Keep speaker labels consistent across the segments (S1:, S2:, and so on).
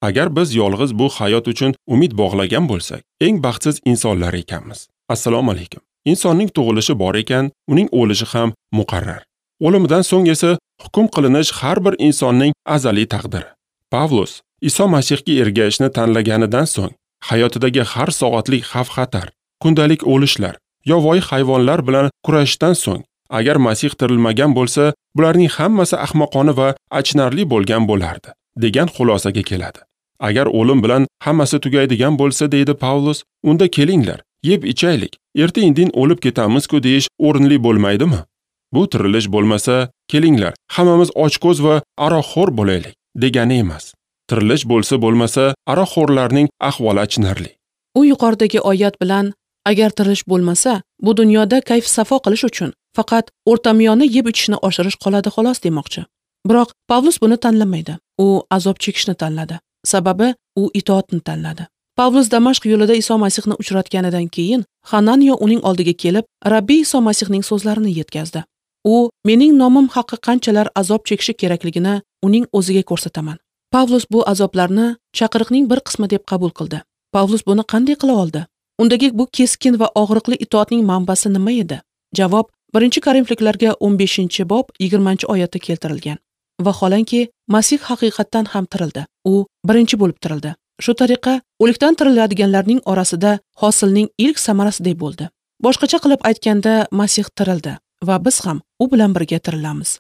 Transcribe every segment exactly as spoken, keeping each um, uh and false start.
S1: Agar biz yolg'iz bu hayot uchun umid bog'lagan bo'lsak, eng baxtsiz insonlar ekanmiz. Assalomu alaykum. Insonning tug'ilishi bor ekan, uning o'lishi ham muqarrar. O'limidan so'ng esa hukm qilinish har bir insonning azaliy taqdiri. Pavlus Iso Masihga ergashishni tanlaganidan so'ng hayotidagi har soatlik xavf-xatar, kundalik o'lishlar, yovvoyi hayvonlar bilan kurashishdan so'ng agar Masih tirilmagan bo'lsa, bularning hammasi ahmoqona va achinarli bo'lgan bo'lardi, degan xulosaga keladi. Agar o'lim bilan hammasi tugaydigan bo'lsa, deydi Pavlus, unda kelinglar, yeb ichaylik, erta-indin o'lib ketamiz-ku deyish o'rinli bo'lmaydimi? Bu tirilish bo'lmasa, kelinglar, hammamiz ochko'z va aroqxo'r bo'laylik, degani emas. Tirilish bo'lsa bo'lmasa, aroqxo'rlarning ahvoli achinarli.
S2: U yuqoridagi oyat bilan agar tirilish bo'lmasa, bu dunyoda kayf-safo qilish uchun faqat o'rtamiyona yeb ichishni oshirish qoladi xolos demoqchi. Biroq Pavlus buni tanlamaydi. U azob chekishni tanladi. Sababi u itoatni tanladi. Pavlus Damashq yo'lida Iso Masihni uchratganidan keyin Hananiya uning oldiga kelib, Rabbiy Iso Masihning so'zlarini yetkazdi. U mening nomim haqi qanchalar azob chekishi kerakligini uning o'ziga ko'rsataman. Pavlus bu azoblarni chaqiriqning bir qismi deb qabul qildi. Pavlus buni qanday qila oldi? Undagi bu keskin va og'riqli itoatning manbasi nima edi? Javob birinchi Korinfliklarga o'n beshinchi bob yigirmanchi oyatda keltirilgan. Vaholanki, Masih haqiqatdan ham tirildi. U birinchi bo'lib tirildi. Shu tariqa o'likdan tiriladiganlarning orasida hosilning ilk samarasiday bo'ldi. Boshqacha qilib aytganda, Masih tirildi va biz ham u bilan birga tirilamiz.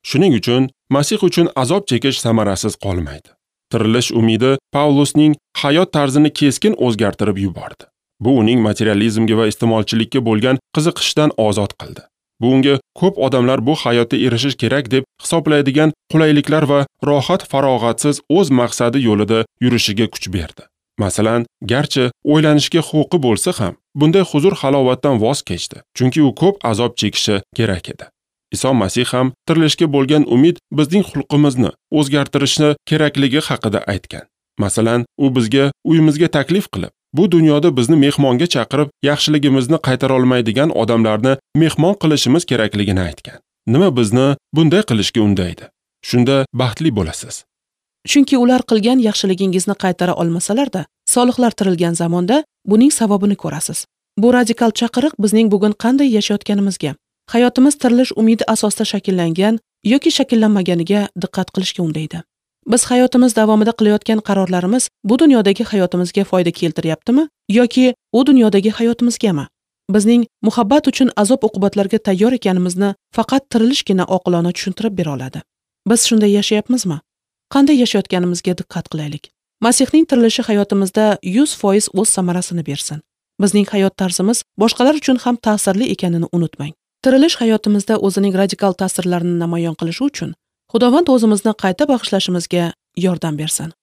S1: Shuning uchun Masih uchun azob chekish samarasiz qolmaydi. Tirilish umidi Pavlusning hayot tarzini keskin o'zgartirib yubordi. Bu uning materializmga va iste'molchilikka bo'lgan qiziqishdan ozod qildi. Bu unga ko'p odamlar bu hayotda erishish kerak deb hisoblaydigan qulayliklar va rohat farog'atsiz o'z maqsadi yo'lida yurishiga kuch berdi. Masalan, garchi o'ylanishga huquqi bo'lsa ham, bunday huzur halovatdan voz kechdi, chunki u ko'p azob chekishi kerak edi. Iso Masih ham tirilishga bo'lgan umid bizning xulqimizni o'zgartirishni kerakligi haqida aytgan. Masalan, u bizga uyimizga taklif qilib, bu dunyoda bizni mehmonga chaqirib, yaxshiligimizni qaytara olmaydigan odamlarni mehmon qilishimiz kerakligini aytgan. Nima bizni bunday qilishga undaydi? Shunda baxtli bo'lasiz.
S2: Chunki ular qilgan yaxshiligingizni qaytara olmasalar-da, solihlar tirilgan zamonda buning savobini ko'rasiz. Bu radikal chaqiriq bizning bugun qanday yashayotganimizga, hayotimiz tirilish umidi asosida shakllangan yoki shakllanmaganiga diqqat qilishga undaydi. Biz hayotimiz davomida qilayotgan qarorlarimiz bu dunyodagi hayotimizga foyda keltiryaptimi yoki u dunyodagi hayotimizgami? Bizning muhabbat uchun azob-uqubatlarga tayyor ekanimizni faqat tirilishgina oqilona tushuntirib bera oladi. Biz shunday yashayapmizmi? Qanday yashayotganimizga diqqat qilaylik. Masihning tirilishi hayotimizda yuz foiz o'z samarasini bersin. Bizning hayot tarzimiz boshqalar uchun ham ta'sirli ekanini unutmang. Tirilish hayotimizda o'zining radikal ta'sirlarini namoyon qilishi uchun Xudovand o'zimizni qayta bag'ishlashimizga yordam bersin.